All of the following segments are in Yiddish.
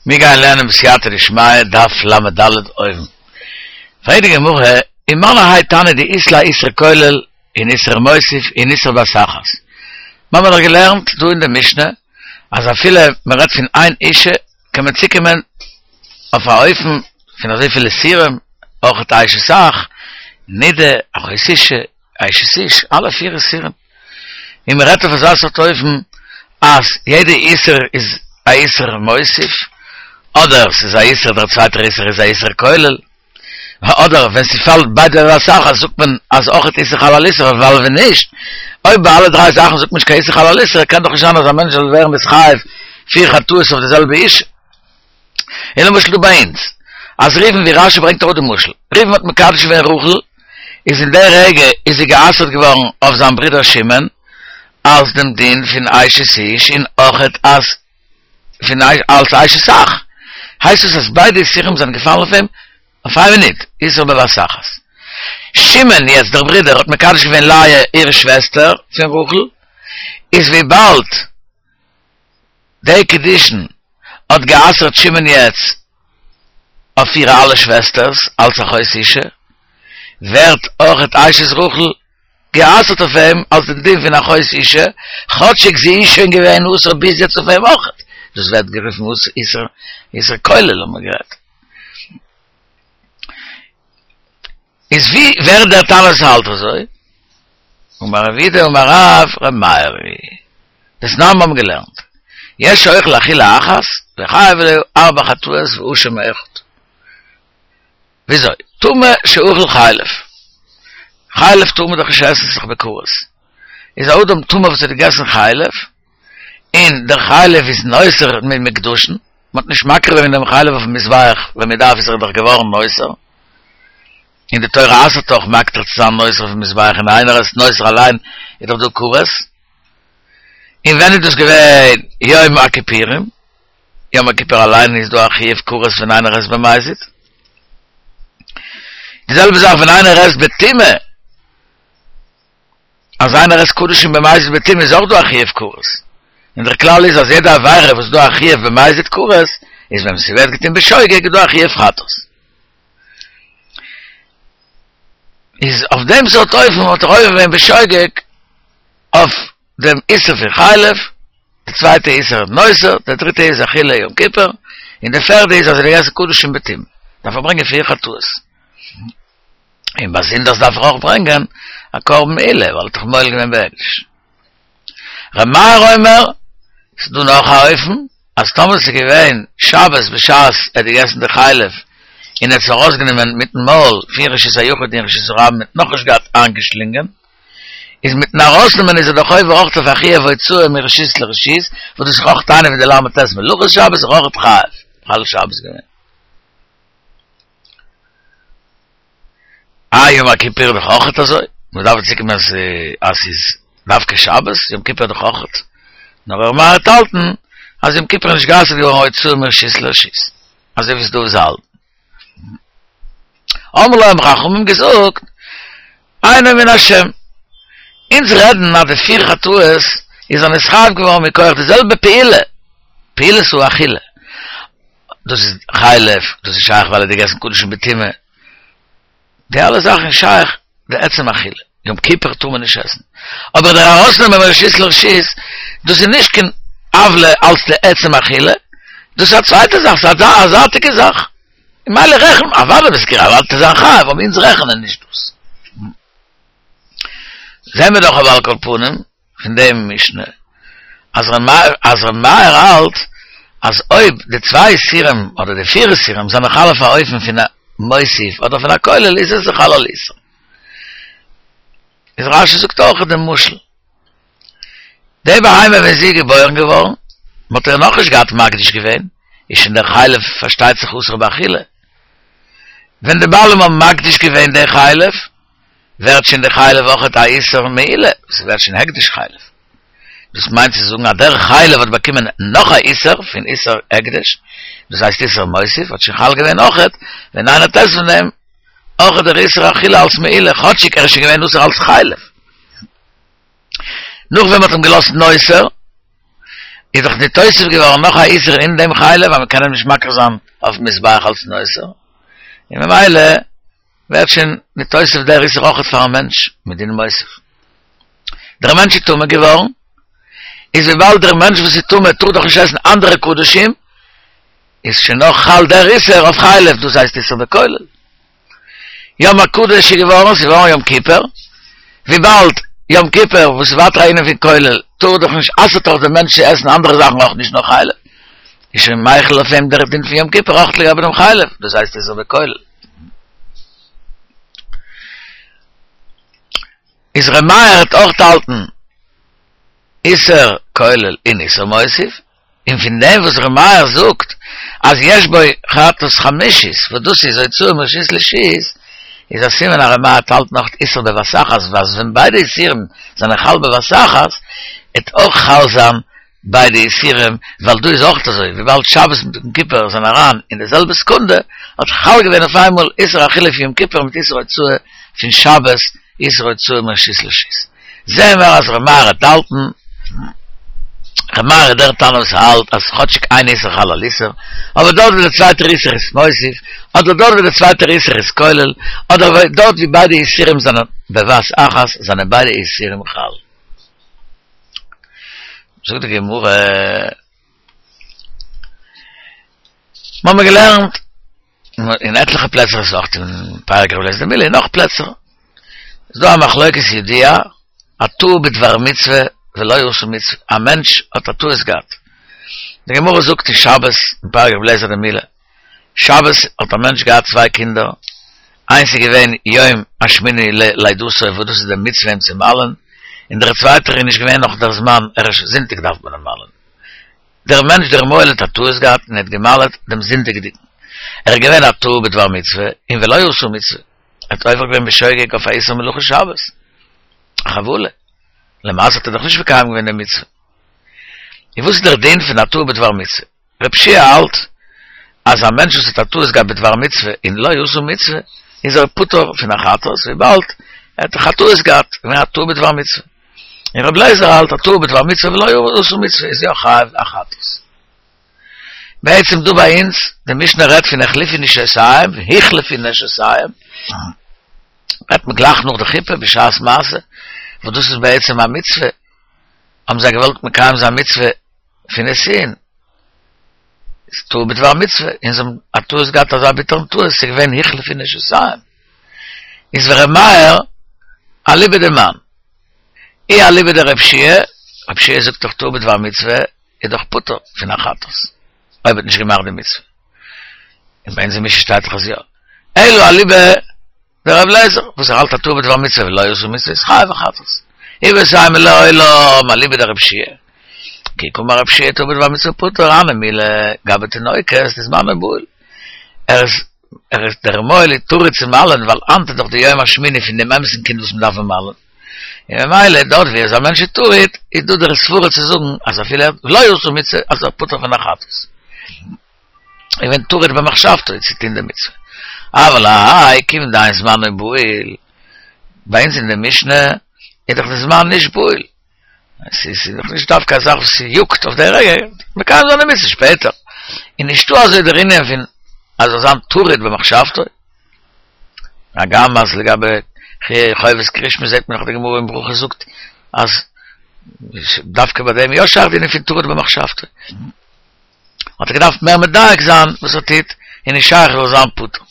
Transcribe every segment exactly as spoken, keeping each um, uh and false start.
מיר גייען לערנען בסייעתא דשמיא דף ל"ד אויבן. פרעגט די גמרא, ומנו האי תנא דאית ליה איסור כולל און איסור מוסיף און איסור בבת אחת. מיר האבן דאך געלערנט דא אין די משנה אז אפילו מען רעדט פון איין אישה קען מען צוקומען אויף א אופן פון אזויפיל איסורים, אויך אשת אח, נידה, אחות אישה, אשת איש, אלע פיר איסורים. און מען רעדט אויף אזא סארט אופן אז יעדע איסור איז א איסור מוסיף, אדער ס'איז א איסור דער צווייטער איסור איז א איסור כולל, אדער ווען ס'פאלט ביידע בבת אחת זאגט מען אז אויכעט איסור חל על איסור, ווייל ווען נישט, אויב ביי אלע דריי זאכן זאגט מען נישט קיין איסור חל על איסור, קען דאך נישט זיין אז א מענטש זאל ווערן נתחייב פיר חטאות אויף די זעלבע אישה. און למשל דא ביי אונז, אז ראובן ווי רשי ברענגט אראפ די משל, ראובן האט מקדש געווען רחל, איז אין די רגע איז זי גע'אסר'ט געווארן אויף זיין ברודער שמעון, אלס דעם דין פון אשת איש און אויכעט אז פון אלס אשת אח, הייסט עס אז ביידע איסורים זענען געפאלן אויף אים אויף איין מינוט, איסור בבת אחת. שמעון, יעצט דער ברודער, האט מקדש געווען לאה איר שוועסטער פון רחל, איז וויבאלד די קידושין האט גע'אסר'ט שמעון יעצט אויף אירע אלע שוועסטערס אלס אחות אישה, ווערט אויכעט אשת רחל גע'אסר'ט אויף אים אלס דעם דין פון אחות אישה, כאטשיג זי איז שוין געווען אסור ביז יעצט אויף אים אויכעט, דאס ווערט גערופן איסור איסור כולל האבן מיר גערעדט. איז ווי ווער דער תנא וואס האלט אזוי? אמר רב יהודה אמר רב ר' מאיר היא דתנן מיר האבן געלערנט יש שאוכל אכילה אחת וחייב עליה ארבע חטאות ואשם אחד וויאזוי? טמא שאכל חלב חלב טאר מען דאך נישט עסן ס'איז דאך בכרת איז א אדם טמא וואס האט געגעסן חלב און דער חלב איז נותר ממוקדשין מען האט נישט מקריב געווען דעם חלב אויפן מזבח ווען מען דארף איז ער דאך געווארן נותר און די תורה אסר'ט אויך מקטיר צו זיין נותר אויפן מזבח און איינער עסט נותר אליין איז דאך דא כרת און ווען איז דאס געווען יום הכיפורים יום הכיפור אליין איז דא א חיוב כרת ווען איינער עסט במזיד די זעלבע זאך ווען איינער עסט בטומאה אז איינער עסט קדשים במזיד בטומאה איז אויך דא א חיוב כרת און דער כלל איז אז יעדע עבירה וואס איז דא א חיוב במזיד כרת איז ווען ס'ווערט געטון בשוגג איז דא א חיוב חטאת איז אויף דעם סארט אופן האט ער עובר געווען בשוגג אויף דעם איסור פון חלב, די צווייטע איסור נותר, די דריטע איז אכילה יום כיפור, און די פערדע איז אז ער האט געגעסן קדשים בטומאה, דארף ער ברענגען פיר חטאות. און באזונדערס דארף ער אויך ברענגען א קרבן מעילה, ווייל ער האט דאך מועל געווען בהקדש. ר' מאיר אומר, ס'איז דא נאך א אופן, אז טאמער ס'איז געווען שבת בשעת ער האט געגעסן די חלב, און ער האט עס ארויסגענומען מיטן מויל פון רשות היחיד אין רשות הרבים און נאכנישט געהאט איינגעשלינגען, איז מיטן ארויסנעמען איז ער דאך עובר אויך אויף א חיוב הוצאה מרשות לרשות, וואס דאס איז אויך איינע פון די ל"ט מלאכות שבת איז אויך חייב מחלל שבת געווען. אה יום הכיפור איז דאך אויך אזוי, מען דארף צוקומען אז אז ס'איז דווקא שבת, יום כיפור איז דאך אויך, נאר ר' מאיר וועט האלטן אז יום כיפור איז נישט גע'אסר'ט געווארן הוצאה מרשות לרשות, אזוי ווי ס'איז דא וואס האלטן. אמרו לו האבן חכמים געזאגט, אינו מן השם. אונז רעדן אז די פיר חטאות איז ער נתחייב געווארן מכח די זעלבע פעולה, פעולת האכילה. דאס איז חלב, דאס איז שייך ווייל ער האט געגעסן קדשים בטומאה. די אלע זאכן איז שייך די עצם אכילה. יום כיפור טאר מען נישט עסן. אבער דער ארויסנעמען מרשות לרשות, דאס איז נישט קיין עוולה אלס די עצם אכילה, דאס איז א צווייטע זאך, ס'איז א זייטיגע זאך. ממילא רעכנט מען, אוודאי ביסט גערעכט, אוודאי וועט ער זיין חייב, אבער אונז רעכענען נישט דאס. זעהן מיר דאך אבער על כל פנים פון דעם משנה אז ר' מאיר האלט אז אויב די צוויי איסורים אדער די פיר איסורים זענען חל אויף א אופן פון א מוסיף אדער פון א כולל איז איסור חל על איסור. איז רשי זאגט אויך דעם משל. די בהמה ווען זי איז געבוירן געווארן, מען האט איר נאכנישט געהאט מקדיש געווען, איז שוין דער חלב פארשטייט זיך אסור באכילה. ווען די בעלים האבן מקדיש געווען די חלב, ווערט שוין די חלב אויכעט א איסור מעילה, ס'ווערט שוין הקדש חלב. דאס מיינט צו זאגן אז דער חלב האט באקומען נאך א איסור פון איסור הקדש, דאס הייסט איסור מוסיף, האט שוין חל געווען אויכעט, ווען איינער עסט פון דעם, אויכעט דער איסור אכילה אלס מעילה, כאטשיג ער איז שוין געווען אסור אלס חלב. נאך ווען מ'האט אים געלאזט נותר, איז דאך ניתוסף געווארן נאך א איסור אין דעם חלב, ווייל מ'קען אים נישט מקריב זיין אויפן מזבח אלס נותר. און ממילא ווערט שוין ניתוסף דער איסור אויכעט פאר א מענטש מדין מוסיף. דער מענטש איז טמא געווארן, איז וויבאלד דער מענטש וואס איז טמא טאר דאך נישט עסן אנדערע קדשים, איז שוין נאך חל דער איסור אויף חלב, דאס הייסט איסור בכולל. יום הקדוש איז געווארן, ס'איז געווארן יום כיפור, וויבאלד יום כיפור וואס איז ווייטער א ענין פון כולל, טאר דאך נישט, אסר'ט דאך דער מענטש צו עסן אנדערע זאכן אויך נישט נאר חלב, איז שוין מחיל אויף אים דער דין פון יום כיפור אויך לגבי דעם חלב, דאס הייסט איסור בכולל. איז ר' מאיר האט אויך האלטן איסור כולל און איסור מוסיף, און פון דעם וואס ר' מאיר זאגט אז יש בו חטאת חמישית, וואס דאס איז הוצאה מרשות לרשות, איז א סימן אז ר' מאיר האלט נאך איסור בבת אחת, וואס ווען ביידע איסורים זענען חל בבת אחת, וועט אויך חל זיין ביידע איסורים, ווייל דא איז אויך אזוי, וויבאלד שבת מיט יום כיפור זענען אריין אין די זעלבע סעקונדע, האט חל געווען אויף איינמאל איסור אכילה פון יום כיפור מיט איסור הוצאה פון שבת, איסור הוצאה מרשות לרשות. זעהן מיר אז ר' מאיר האט האלטן, ר' מאיר איז דער תנא וואס האלט אז כאטשיג איין איסור חל על איסור, אבער דארט ווי דער צווייטער איסור איז מוסיף, אדער דארט ווי דער צווייטער איסור איז כולל, אדער דארט ווי ביידע איסורים זענען בבת אחת, זענען ביידע איסורים חל. זאגט די גמרא, מיר האבן געלערנט אין עטליכע פלעצער, עס איז אויך אין פרק רבי אליעזר דמילה און נאך פלעצער, איז דא א מחלוקת ידועה, הטעה בדבר מצוה ולא עשה מצוה, א מענטש האט א טעות געהאט, די גמרא זאגט אין שבת אין פרק רבי אליעזר דמילה, שבת האט א מענטש געהאט צוויי קינדער, איינס איז געווען יום השמיני ללידתו וואס דאס איז די מצוה אים צו מל'ען, און דער צווייטער איז נישט געווען נאך דער זמן, ערשט זונטאג דארף מען אים מל'ען. דער מענטש דער מוהל האט א טעות געהאט און ער האט געמל'עט דעם זונטאג'דיגן. ער איז געווען א טועה בדבר מצוה און ולא עשה מצוה. ער האט עובר געווען בשוגג אויף א איסור מלאכה שבת. א חבלה. למעשה האט ער דאך נישט מקיים געווען די מצוה. און וואס איז דער דין פון א טועה בדבר מצוה? רב שיע האלט אז א מענטש וואס האט א טעות געהאט בדבר מצוה און לא עשה מצוה איז ער פטור פון א חטאת וויבאלד ער האט דאך א טעות געהאט, געווען א טועה בדבר מצוה. און רבי אליעזר האלט א טועה בדבר מצוה ולא עשה מצוה איז יא חייב א חטאת. בעצם דא ביי אונז, די משנה רעדט פון החליפו נשותיהם, הוחלפו נשותיהם, רעדט מען גלייך נאך די חופה בשעת מעשה, וואס דאס איז בעצם א מצוה, האבן זיי געוואלט מקיים זיין מצוה פון נישואין, איז טועה בדבר מצוה, און זיי האבן א טעות געהאט אזא ביטערן טעות, ס'איז געווען הוחלפו נשותיהם. איז ור' מאיר אליבא דמאן. אי אליבא דרב שיע, רב שיע זאגט דאך טועה בדבר מצוה איז דאך פטור פון א חטאת, אויב האט נישט געמאכט די מצוה. און ביי אונז אין משנה שטייט דאך אז יא. אלא אליבא דרבי אליעזר, וואס ער האלט א טועה בדבר מצוה ולא עשה מצוה איז חייב א חטאת. איבעית אימא לעולם אליבא דרב שיע. כי קאמר רב שיע טועה בדבר מצוה פטור הני מילי גבי תינוקות דזמנו בהול. ער איז ער איז דער מוהל איז טרוד צו מל'ען ווייל היינט איז דאך די יום השמיני פון דעם אמת'ן קינד וואס מ'דארף אים מל'ען. און ממילא דארט ווי אז א מענטש איז טרוד איז דא דער סברה צו זאגן אז אפילו ער לא עשה מצוה אז ער פטור פון א חטאת. איז געווען טרוד במחשבתו צו טון די מצוה. אבל האי כיוון דאין זמנו בהול, ביי אונז אין די משנה איז דאך די זמן נישט בהול, עס איז דאך נישט דווקא א זאך וואס יאגט אויף די רגע, מקיים זיין די מצוה שפעטער, איז נישטא אזוי דער ענין פון אז זאל זיין טרוד במחשבתו, הגם אז לגבי חובת קריאת שמע זעט מען דאך די גמרא אין ברכות זאגט אז דווקא ביי דעם יא שייך די ענין פון טרוד במחשבתו. האט ער געדארפט מער מדייק זיין וואס ער טוט, און נישט שייך ער זאל זיין פטור.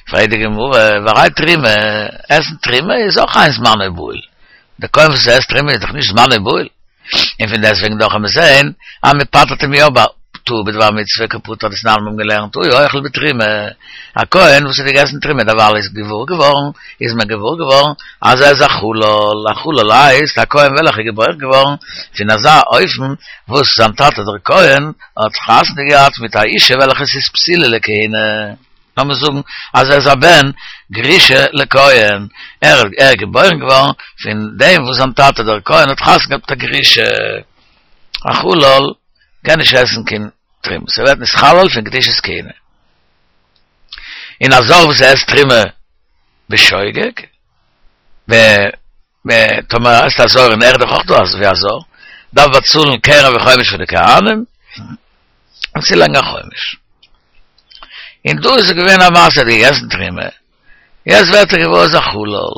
פרעגט די גמרא, והרי תרומה, עסן תרומה איז אויך אין זמנו בהול, דער כהן וואס עסט תרומה איז דאך נישט זמנו בהול, און פון דעסטוועגן דאך קען מען זען אז מען פטר'ט אים יא ביי טעה בדבר מצוה קא פטר דתנן מיר האבן געלערנט הוא האוכל בתרומה, א כהן וואס האט געגעסן תרומה דערווייל איז געוואר געווארן איז מען געוואר געווארן אז ער איז א חלל, א חלל הייסט א כהן וועלכע איז געבוירן געווארן פון אזא אופן וואס זיין טאטע דער כהן האט חתונה געהאט מיט א אישה וועלכע איז פסולה לכהונה, לאמיר זאגן אז ער איז א בן גרושה לכהן, ער איז געבוירן געווארן פון דעם וואס זיין טאטע דער כהן האט חתונה געהאט מיט א גרושה, א חלל קען נישט עסן קיין תרומה, ס'ווערט נתחלל פון קדושת כהונה. און א זר וואס עסט תרומה בשוגג, ב ב טאמער עסט א זר און ער איז דאך אויך דא אזוי ווי א זר, דארף באצאלן קרן וחומש פאר די כהנים, און צולייגן א חומש. און דא איז געווען א מעשה, ער האט געגעסן תרומה, יעצט ווערט ער געוואר איז א חלל,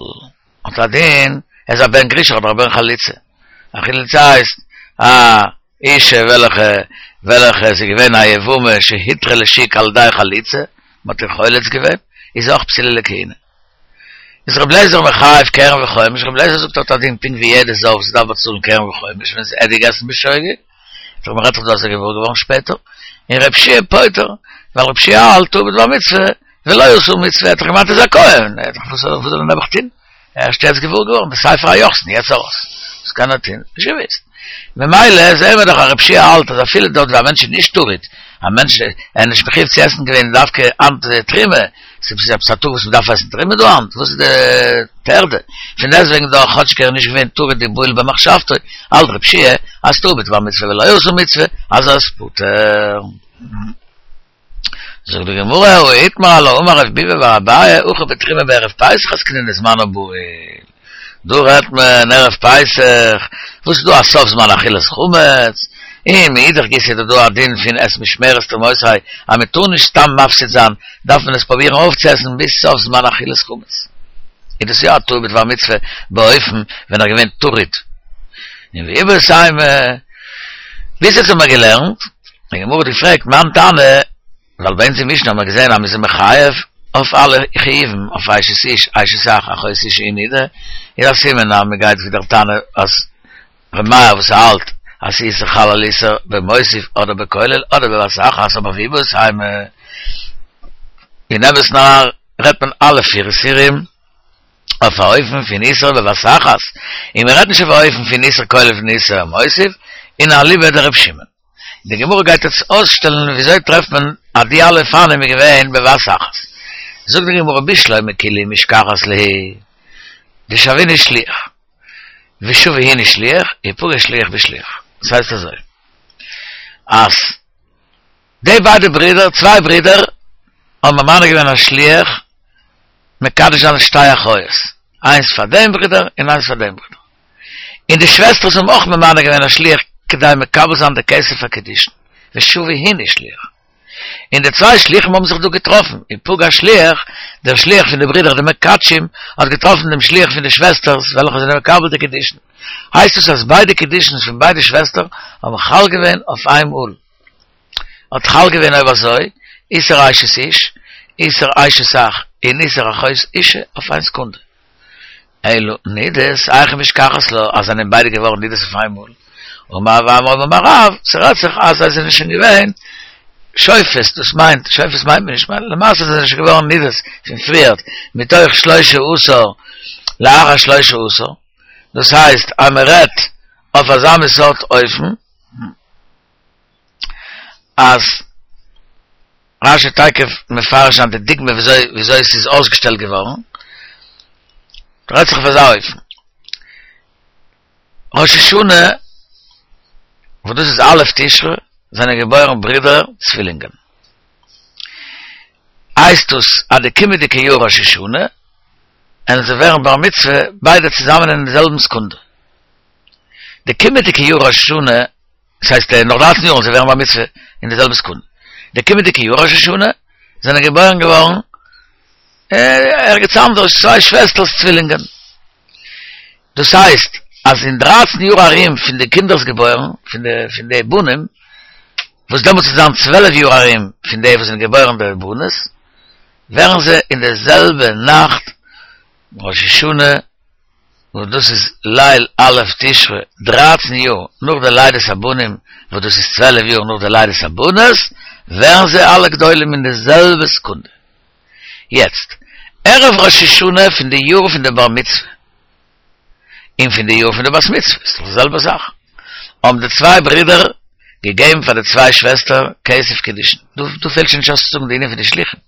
האט א דין, ער איז א בן גרושה אדער א בן חלוצה. א חלוצה הייסט א אישה וועלכע וועלכע איז געווען א יבמה שהותרה לשוק על ידי חליצה, מ'האט איר חולץ געווען, איז זי אויך פסולה לכהונה. איז רבי אליעזר מחייב קרן וחומש, רבי אליעזר זאגט האט א דין פונקט ווי יעדע זב וואס דארף באצאלן קרן וחומש ווען ער האט געגעסן בשוגג, דאך מ'רעדט דאך דא אז ער איז געוואר געווארן שפעטער, און רבי יהושע פוטר, ווייל רבי יהושע האלט טעה בדבר מצוה, ולא עשה מצוה, ער האט דאך געמיינט ער איז א כהן, ער האט דאך וואס זאל ער נעבעך טון, ערשט יעצט געוואר געווארן, בספר היוחסין יעצט ארויס, וואס קען ער טון, נישט געוואוסט. ממילא זעהן מיר דאך אז רבי יהושע האלט אז אפילו דארט ווי א מענטש איז נישט טרוד, א מענטש איז נישט מחויב צו עסן געווען דווקא היינט תרומה, ס'איז עפעס א טאג וואס מ'דארף עסן תרומה דא היינט? וואס איז די טרדה? פון דעסטוועגן דאך כאטשיג ער איז נישט געווען טרוד ובהול במחשבתו, האלט רבי יהושע אז טעה בדבר מצוה ולא עשה מצוה, אז ער איז פטור. זאגט די גמרא, הא איתמר עלה אמר רב ביבי בר אביי, הכא בתרומה בערב פסח עסקינן וזמנה בהול. דא רעדט מען ערב פסח, וואס איז דא א סוף זמן אכילת חמץ, און מאידך גיסא איז דא דא א דין פון את משמרת תרומותי אז מען טאר נישט סתם מפסיד זיין, דארף מען עס פרובירן אויפצועסן ביז סוף זמן אכילת חמץ. איז דאס יא א טעה בדבר מצוה באופן ווען ער געווען טרוד. און ואיבעית אימא, ביז יעצט האבן מיר געלערנט, די גמרא האט געפרעגט מאן תנא, ווייל ביי אונז אין משנה האבן מיר געזען אז מ'איז מחייב אויף אלע חיובים, אויף אשת איש, אשת אח, אחות אשה און נידה, איז א סימן אז מ'גייט ווי דער תנא אז ר' מאיר וואס האלט אז ס'איסור חל על איסור במוסיף אדער בכולל אדער בבת אחת אבער ואיבעית אימא אין אמת'ן רעדט מען אלע פיר איסורים אויף א אופן פון איסור בבת אחת, און מ'רעדט נישט אויף א אופן פון איסור כולל און איסור מוסיף, און אליבא דר' שמעון. די גמרא גייט יעצט אויסשטעלן וויאזוי טרעפט מען אז די אלע אופנים איז געווען בבת אחת. זאגט די גמרא בשלמא כולהו משכחת להו דשוינהו שליח ושוי הינהו שליח ופגע שליח בשליח. דאס הייסט אזוי אז די ביידע ברידער, צוויי ברידער, האבן ממנה געווען א שליח מקדש זיין שתי אחיות, איינס פאר דעם ברודער און איינס פאר דעם ברודער. און די שוועסטערס האבן אויך ממנה געווען א שליח כדי מקבל זיין די כסף הקידושין, ושוי הינהו שליח. און די צוויי שליחים האבן זיך דא געטראפן, ופגע שליח, דער שליח פון די ברידער די מקדשים, האט געטראפן דעם שליח פון די שוועסטערס וועלכע זענען מקבל די קידושין. הייסט עס אז ביידע קידושין פון ביידע שוועסטער האבן חל געווען אויף איין מאל. האט חל געווען אויב אזוי, איסור אשת איש, איסור אשת אח, און איסור אחות אשה אויף איין סעקונדע. אלא נידות, היכי משכחת לה, אז זענען ביידע געווארן נידות אויף איינמאל. אמר רב עמרם אמר רב, ס'רעדט זיך אז זיי זענען שוין געווען שופות, דאס מיינט, שופות מיינט מען נישט, למעשה זענען זיי שוין געווארן נידות פון פריערט, מתוך שלשה עשר לאחר שלשה עשר, דאס הייסט אז מ'רעדט אויף אזא מין סארט אופן, אז רש"י תיכף מפרש זיין די דוגמא וויאזוי וויאזוי עס איז אויסגעשטעלט געווארן, רעדט זיך אויף אזא אופן, ראש השנה וואס דאס איז א' תשרי זענען געבוירן ברידער צווילינגען, הייסט דאס אז די קומענדיגע יאר ראש השנה וועלן זיי ווערן בר מצוה ביידע צוזאמען אין די זעלבן סעקונדע, די קומענדיגע יאר ראש השנה דאס הייסט נאך דרייצן יאר זיי ווערן בר מצוה אין די זעלבע סעקונדע. די קומענדיגע יאר ראש השנה זענען געבוירן געווארן ערגעץ אנדערש צוויי שוועסטערס צווילינגען. דאס הייסט אז אין דרייצן יאר ארום פון די קינדער'ס געבוירן, פון די פון די בנים, וואס דעמאלטס וועט זיין צוועלף יאר ארום פון די וואס זענען געבוירן די בנות, ווערן זיי אין די זעלבע נאכט ראש השנה וואס דאס איז ליל א' תשרי, דרײַצן יאר נאך די לידת הבנים, וואס דאס איז צוועלף יאר נאך די לידת הבנות, ווערן זיי אלע גדולים אין די זעלבע סעקונדע. יעצט, ערב ראש השנה פון די יאר פון די בר מצוה, און פון די יאר פון די בת מצוה, איז דאך די זעלבע זאך, האבן די צוויי ברידער געגעבן פאר די צוויי שוועסטער כסף קידושין, דא פעלט שוין נישט אויס צו זאגן די ענין פון די שליחים.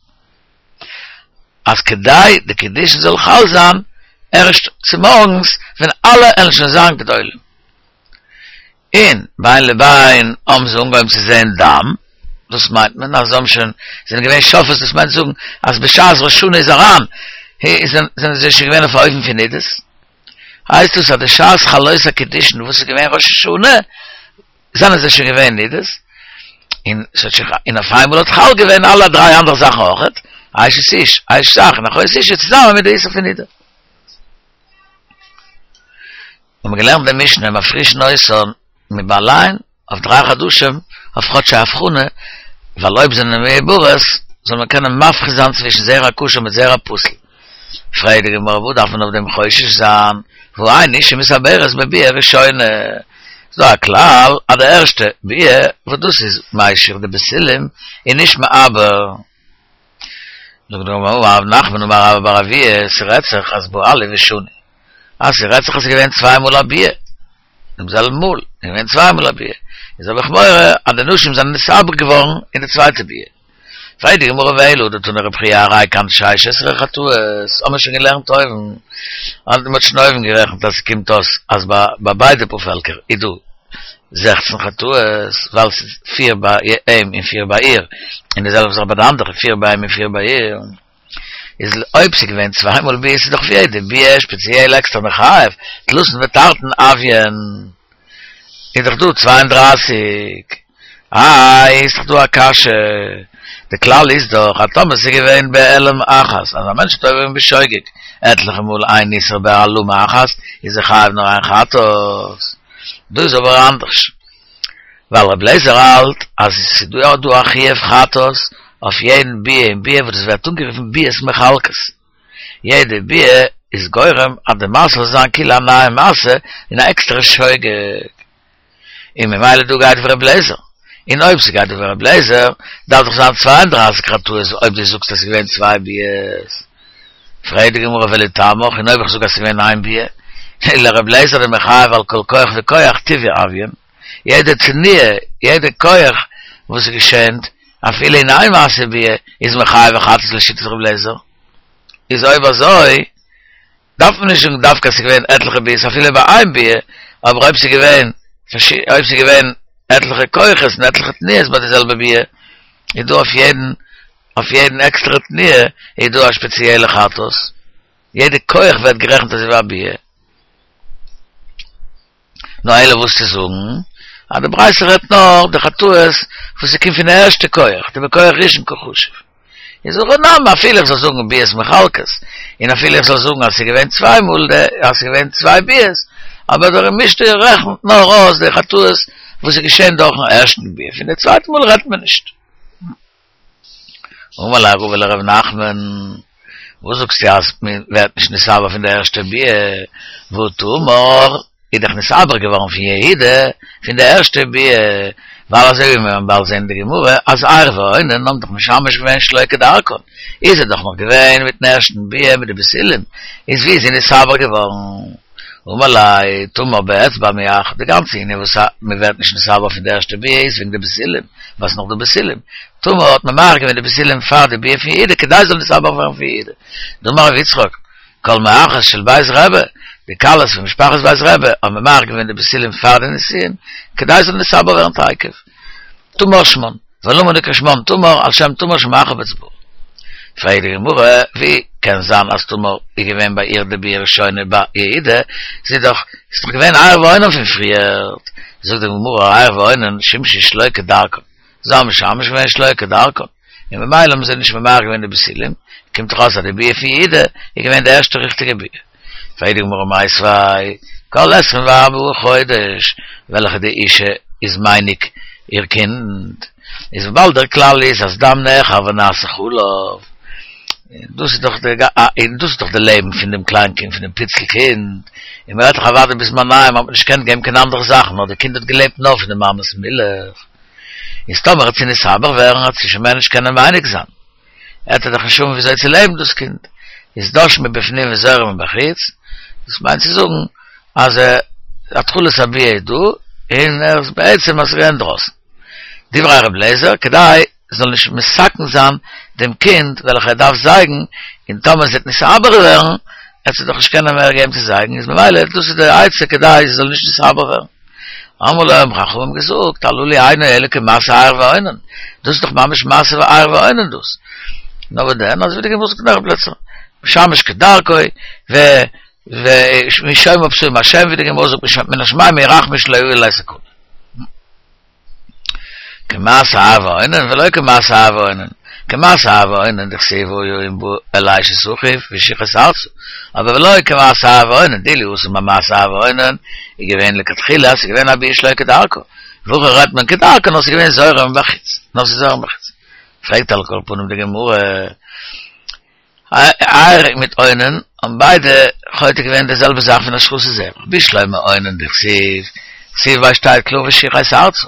אז כדי די קידושין זאל חל זיין ערשט צומארגנס ווען אלע עלן שוין זיין גדולים. און בין לבין האבן זיי אנגעהויבן צו זען דם, דאס מיינט מען אז זיי האבן שוין זענען געווען שופות, דאס מיינט זאגן אז בשעת ראש השנה איז אריין זענען זיי שוין געווען אויף א אופן פון נידות, הייסט דאס אז די שעת חלות הקידושין וואס איז געווען ראש השנה, זענען זיי שוין געווען נידות, און ס'האט שוין און אויף איינמאל האט חל געווען אלע דריי אנדערע זאכן אויכעט, אשת איש, אשת אח און אחות אשה צוזאמען מיט די איסור פון נידה. האבן מיר געלערנט די משנה מפרישין אותן מבעליהן אויף דריי חדשים אויף כאטש א הבחנה, ווייל אויב זענען מעוברות זאל מען קענען מבחין זיין צווישן זרע כשר מיט זרע פסול. פרעגט די גמרא וואס דארף מען אויף דעם חושש זיין, והא אין אשה מתעברת בביאה ראשונה, ס'איז דא א כלל אז די ערשטע ביאה וואס דאס איז משיך די בתולים איז נישט מעבר. זאגט די גמרא אמר רב נחמן אמר רבה בר אבוה, ס'רעדט זיך אז בעלה ושני, אז ס'רעדט זיך אז ס'איז געווען צוויי מאל א ביאה, דעם זעלבן מאל, איז געווען צוויי מאל א ביאה, איז האב איך מורא אז די נשים זענען נתעבר געווארן אין די צווייטע ביאה. פרעגט די גמרא ואלא דתני רבי חייא הרי כאן שש עשרה חטאות, האמיר שוין געלערנט אויבן, אז מ'האט שוין אויבן גערעכנט אז ס'קומט אויס אז ביי ביידע פארפעלקער איז דא זעכצן חטאות, ווייל ס'איז פיר ביי אים און פיר ביי איר, און די זעלבע זאך ביי די אנדערע, פיר ביי אים און פיר ביי איר. איז אויב ס'איז געווען צוויי מאל ביאה איז דאך אויף יעדע ביאה שפעציעל עקסטער מחייב, תלתין ותרתין הויין איז דאך דא צוויי און דרײַסיק, איי איז דאך דא א קשיא, די כלל איז דאך אז טאמער ס'איז געווען בהעלם אחת אז א מענטש האט עובר געווען בשוגג עטליכע מאל איין איסור בהעלמה אחת איז ער חייב נאר איין חטאת, דא איז אבער אנדערש ווייל רבי אליעזר האלט אז ס'איז דא דא א חיוב חטאת אויף יעדן ביאה און ביאה וואס דאס ווערט אנגערופן ביאות מחלקות, יעדע ביאה איז גורם אז די מעשה זאל זיין כאילו א נייע מעשה און א עקסטערע שוגג, און ממילא דא גייט ווי רבי אליעזר, און אויב ס'גייט דא ווי רבי אליעזר דארף דאך זיין צוויי און דרײַסיק חטאות אויב דו זאגסט אז ס'איז געווען צוויי ביאות. פרעגט די גמרא ולטעמיך, און אויב איך זאג אז ס'איז געווען איין ביאה, לרבי אליעזר דמחייב על כל כח וכח טבעי הויין, יעדע תנועה, יעדע כח וואס איז געשענט, אפילו אין איין מעשה ביאה, איז מחייב א חטאת לשיטת רבי אליעזר. איז אויב אזוי, דארף מען נישט זאגן דווקא אז ס'איז געווען עטליכע ביאות אפילו ביי איין ביאה, אבער אויב ס'איז געווען אויב ס'איז געווען עטליכע כוחות און עטליכע תנועות ביי די זעלבע ביאה, איז דא אויף יעדן אויף יעדן עקסטערע תנועה איז דא א שפעציעלע חטאת, יעדע כח ווערט גערעכנט אזוי ווי א ביאה. נאר אלא וואס צו זאגן אז די ברייתא רעדט נאר די חטאות וואס ס'קומט פון די ערשטע כח, דבכח ראשון קא חשיב. איז הכא נמי אפילו איך זאל זאגן ביאות מחלקות, און אפילו איך זאל זאגן אז ס'איז געווען צוויי מאל די אז ס'איז געווען צוויי ביאות, אבער דער משנה רעכנט נאר אויס די חטאות וואס איז געשען דורכן ערשטן ביאה, פון די צווייטע מאל רעדט מען נישט. אמר ליה רבא לרב נחמן, וואס זאגסטו אז מען ווערט נישט נתעבר פון די ערשטע ביאה, והא תמר איז דאך נתעבר געווארן פון יהודה פון די ערשטע ביאה, ווייל אזוי ווי מיר וועלן באלד זען אין די גמרא אז ער ואונן האבן דאך משמש געווען שלא כדרכן, איז ער דאך נאך געווען מיטן ערשטן ביאה מיט די בתולים, איז ווי איז זי נתעבר געווארן? אמר ליה, תמר באצבע מיעכבא, די גאנצע ענין וואס מען ווערט נישט נתעבר פון די ערשטע ביאה איז וועגן די בתולים, ווייל ס'איז נאך דא בתולים, תמר האט ממעך געווען די בתולים פאר די ביאה פון יהודה כדי זאל נתעבר ווערן פון יהודה. דאמר רבי יצחק, כל מערכות של בית רבי, די כלות פון משפחת בית רבי האבן ממעך געווען די בתולים פאר די נישואין, כדי זאל נתעבר ווערן תיכף. תמר שמן, ולמה נקרא שמן תמר, על שם תמר שמעכה באצבעה. פרעגט די גמרא, ווי קען זיין אז תמר איז געווען ביי איר די ביאה ראשונה ביי יהודה, זי איז דאך איז דאך געווען ער ואונן פון פריערט, זאגט די גמרא, ער ואונן שימשו שלא כדרכן, זיי האבן משמש געווען שלא כדרכן, און ממילא האבן זיי נישט ממעך געווען די בתולים, קומט דאך אויס אז די ביאה פון יהודה איז געווען די ערשטע ריכטיגע ביאה. פרעגט די גמרא מיתיבי, כל עשרים וארבעה חודש וועלכע די אישה איז מניק איר קינד, איז וויבאלד דער כלל איז אז דם נאחר ונעשה חלב, דאס איז דאך די דאס איז דאך די לעבן פון דעם קליין קינד, פון דעם פיצל קינד, און מען רעדט דאך אוודאי בזמניהם האט מען נישט געקענט געבן קיין אנדערע זאכן, נאר די קינד האט געלעבט נאר פון די מאמע'ס מילך, איז טאמער וועט זי נתעבר ווערן וועט זי שוין מער נישט קענען מניק זיין, עט ער דאך נישט האבן וויאזוי צו לעבן דאס קינד, איז דש מבפנים וזורע מבחוץ, דאס מיינט צו זאגן אז התחלת הביאה איז דא, און ער איז בעצם אז ס'איז אינדרויסן. דברי ר' אליעזר, כדי זאל נישט מסכן זיין דעם קינד וועלכע ער דארף זייגן, און טאמער זי וועט נתעבר ווערן, עט זי דאך נישט קענען מער געבן צו זייגן, איז ממילא דאס איז די עצה כדי זי זאל נישט נתעבר ווערן. אמרו לו האבן חכמים געזאגט, הללו אינו אלא כמעשה ער ואונן, דאס איז דאך ממש מעשה ער ואונן דאס. נאר וואס דען, אזוי ווי די גמרא זאגט אין אנדערע פלעצער, משמש כדרכו, ו. ומשום פסול מהשם ווי די גמרא זאגט מן השמים ירחמו שלא יהיו עלי סכנה. כמעשה אב ואונן ולא כמעשה אב ואונן. כמעשה אב ואונן דכתיב והיה אם בא אל אשת אחיו והשיך את ארצה. אבער ולא כמעשה ער ואונן, דאילו התם ביי מעשה ער ואונן איז געווען לכתחילה אז ס'איז געווען א ביאה שלא כדרכה. והכא רעדט מען כדרכה נאר ס'איז געווען זורע מבחוץ. נאר ס'איז זורע מבחוץ. פרעגט על כל פנים די גמרא, ער מיט אונן האבן ביידע חוטא געווען די זעלבע זאך פון השחתת זרע, בשלמא אונן דכתיב, כתיב ווייל שטייט קלאר והשיך את ארצה,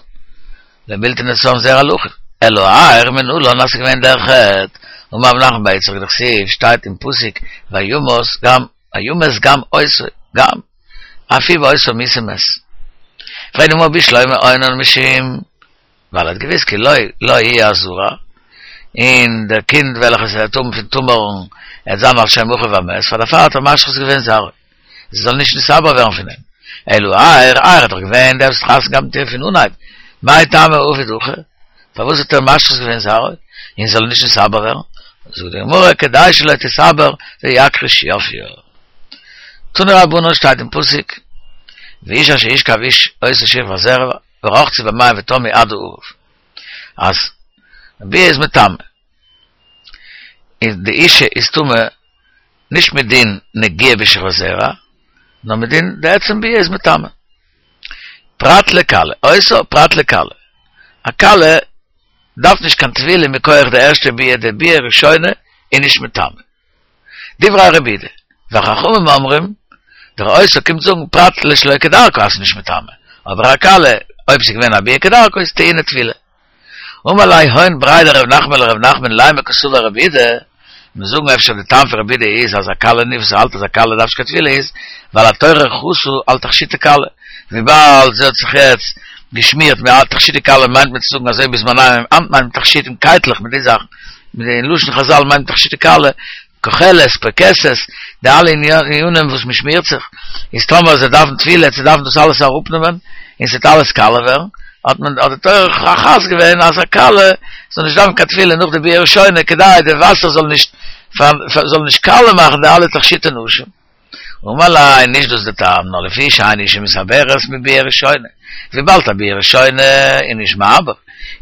לבלתי נתן זרע לאחיו, אלא ער מנלן אז ס'איז געווען דער חטא, אמר רב נחמן בר יצחק דכתיב שטייט אין פסוק וימת גם וימת גם אותו גם אף הוא באותה מיתה מת. פרעגט די גמרא בשלמא אונן משום ווייל ער האט געוואוסט כי לו לא יהיה הזרע, און דער קינד וועלכעס ער וועט האבן פון תמר'ן עט זיין על שם אחיו המת, פאר דערפאר האט ער משחית געווען זרעו, זי זאל נישט נתעבר ווערן פון אים. אלא ער, ער איז דאך געווען דער וואס האט חתונה געהאט מיט איר פון אנהייב, מאי טעמא עביד הכי, פארוואס האט ער משחית געווען זרעו, און זי זאל נישט נתעבר ווערן? זאגט די גמרא, כדי שלא תתעבר ויכחיש יפיה. תנו רבנן שטייט אין פסוק, ואיש אשר ישכב איש אותה שכבת זרע, ורחצו במים וטמאו עד הערב. אז ביאה איז מטמא. איז די אישה איז טמא נישט מדין נגיעה בשכבת זרע, נאר מדין די עצם ביאה איז מטמא. פרט לכלה, אותה פרט לכלה. א כלה דארף נישט קיין טבילה מכח די ערשטע ביאה, די ביאה ראשונה איז נישט מטמא. דברי רבי יהודה, וחכמים אומרים, דער אותה קומט זאגן פרט לשלא כדרכה אז ס'איז נישט מטמא, אבער א כלה, אויב ס'איז געווען א ביאה כדרכה איז טעונה טבילה. אמר ליה הון בריה דרב נחמן לרב נחמן לימא קסבר רבי יהודה, מיר זאגן אפשר די טעם פון רבי יהודה איז אז א כלה נישט וואס האלט אז א כלה דארף נישט קיין טבילה איז ווייל התורה חסה על תכשיטי כלה, וויבאלד זי האט זיך יעצט געשמירט מיט תכשיטי כלה מיינט מען צו זאגן אזוי בזמנינו היינט מיינט מען תכשיטים קייטלעך מיט די זאכן, מיט די לשון חזל מיינט תכשיטי כלה, כוחלת, פרכסת, די אלע ענינים וואס מען שמירט זיך, איז טאמער זיי דארפן טבילה צו דארפן דאס אלעס אראפנעמען, און ס'וועט אלעס קאלע ווערן, האט מען האט די תורה חס געווען אז א כלה זאל נישט דארפן קיין טבילה נאך די ביאה ראשונה כדי די וואסער זאל נישט זאל נישט קאלע מאכן די אלע תכשיטי נשים. אמר ליה, נישט דאס די טעם, נאר לפי שאין אשה מתעברת מביאה ראשונה, וויבאלד א ביאה ראשונה איז נישט מעבר,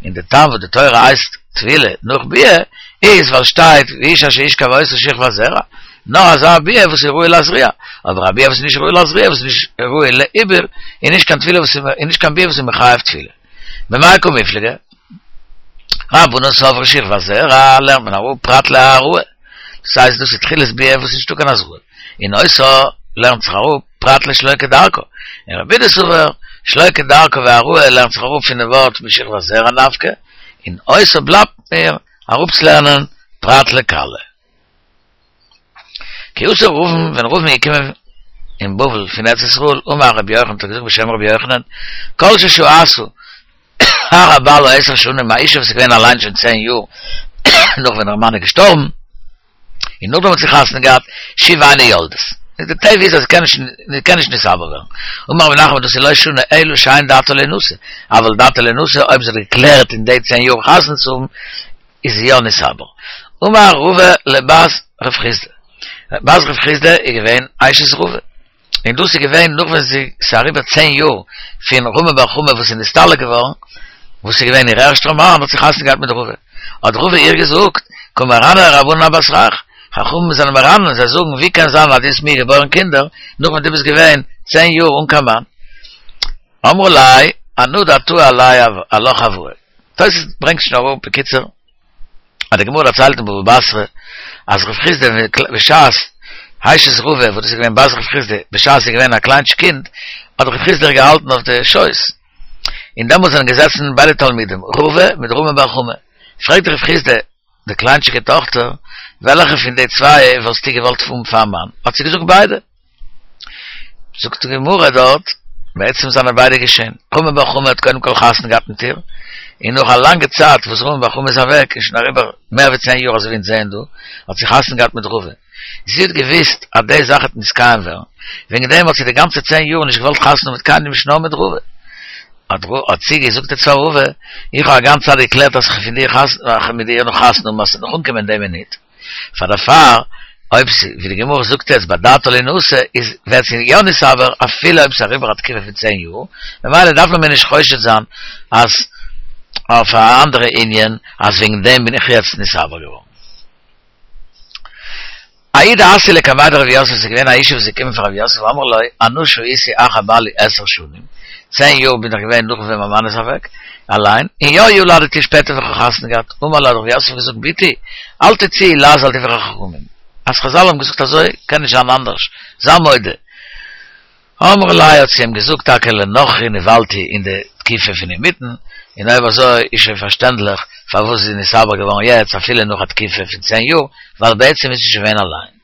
און די טעם וואס די תורה הייסט טבילה נאך ביאה איז ווייל שטייט ואיש אשר ישכב אותה שכבת זרע, נאר אזא ביאה וואס איז ראוי להזריע, אבער א ביאה וואס איז נישט ראוי להזריע וואס איז נישט ראוי לעיבור איז נישט קיין טבילה וואס איז נישט קיין ביאה וואס איז מחייב טבילה. במאי קא מיפלגי? רבנן סברי שכבת זרע לערנט מען אראפ פרט להעראה, דאס הייסט דאס איז תחילת ביאה וואס איז נישטא קיין הזרעה, און אותה לערנט זיך אראפ פרט לשלא כדרכה, און רבי יהודה סבר שלא כדרכה והעראה לערנט זיך אראפ פונעם ווארט משכבת זרע נפקא, און אותה בלייבט מיר אראפצולערנען פרט לכלה. כי אתא רבין, ווען רבין איז געקומען אין בבל פון ארץ ישראל, אמר רבי יוחנן, האט ער געזאגט בשם רבי יוחנן, כל ששהתה אחר בעלה עשר שנים, א אישה וואס איז געווען אליין שוין צען יאר נאך ווען איר מאן איז געשטארבן, און נאכדעם האט זי חתונה געהאט, שוב אינה יולדת. די טבע איז אז זי קען נישט, זי קען נישט נתעבר ווערן. אמר רב נחמן דאס איז לא שנו אלא שאין דעתה לינשא, אבל דעתה לינשא, אויב זי האט געקלערט אין די צען יאר חתונה צו האבן, איז זי יא נתעבר. אמר רבא לבת רב חסדא, בת רב חסדא איז געווען אשת רבא, און דאס איז געווען נאך ווען זי ס'איז אריבער צען יאר פון רמי בר חמא וואס איז נסתלק געווארן, וואס איז געווען איר ערשטער מאן, האט זי חתונה געהאט מיט רבא, האט רבא איר געזאגט, קא מרנן רבנן אבתרך, חכמים זענען מרנן, זיי זאגן ווי קען זיין אז דו האסט מיר געבוירן קינדער נאך ווען דו ביסט געווען צען יאר אן קיין מאן? אמרה ליה, אנא דעתאי עלי עלך הואי. תוס' ברענגט שוין אראפ בקיצור אז די גמרא דערציילט אין בבא בתרא אז רב חסדא בשעת אשת רבא וואס דאס איז געווען בת רב חסדא בשעת זי איז געווען א קליינטשיק קינד האט רב חסדא איר געהאלטן אויף די שויס און דעמאלטס זענען געזעצן ביידע תלמידים רבא מיט רמי בר חמא פרעגט רב חסדא די קליינטשיגע טאכטער וועלכע פון די צוויי וואלסטו געוואלט האבן פאר מאן האט זי געזאגט ביידע. זאגט די גמרא דארט, בעצם זענען ביידע געשען, רמי בר חמא האט קודם כל חתונה געהאט מיט איר, און נאך א לאנגע צייט וואס רמי בר חמא איז אוועק, איז שוין אריבער מער ווי צען יאר אזוי ווי אונז זעען דא, האט זי חתונה געהאט מיט רבא. זי האט געוואוסט אז די זאך וועט נתקיים ווערן, וועגן דעם האט זי די גאנצע צען יאר נישט געוואלט חתונה האבן מיט קיינעם נישט נאר מיט רבא. האט זי געזאגט צו רבא, איך האב א גאנצע צייט געקלערט אז כ'וועל פון דיר חתונה, מיט דיר נאך חתונה האבן אז ס'וועט נאך אנקומען די מינוט. פאר דערפאר אויב ווי די גמרא זאגט יעצט באדעתא לינשא איז ווערט זי יא נתעבר אפילו אויב ס'איז אריבער א תקופה פון צען יאר, ממילא דארף מען מער נישט חושד זיין אז אויף א אנדערע ענין אז וועגן דעם בין איך יעצט נתעבר געווארן. ההיא דאתיא לקמיה דרב יוסף איז געווען א אישה וואס איז געקומען פאר רב יוסף ואמרה ליה אנא שהיתי אחר בעלי עשר שנים, צען יאר בין איך געווען נאך ווען מיין מאן איז אוועק, אליין, און יא ילדתי שפעטער האב איך חתונה געהאט, אמר לה האט רב יוסף געזאגט בתי, אל תוציאי לעז על דברי חכמים, אז חזל האבן געזאגט אזוי קען נישט זיין אנדערש, זיי מודה. אמרה ליה האט זי אים געזאגט טאקע לנכרי נבעלתי אין די תקופה פון אינמיטן, און אויב אזוי איז שוין פארשטענדליך פארוואס זי איז נתעבר געווארן יעצט אפילו נאך א תקופה פון צען יאר, ווייל בעצם איז זי שוין געווען אליין.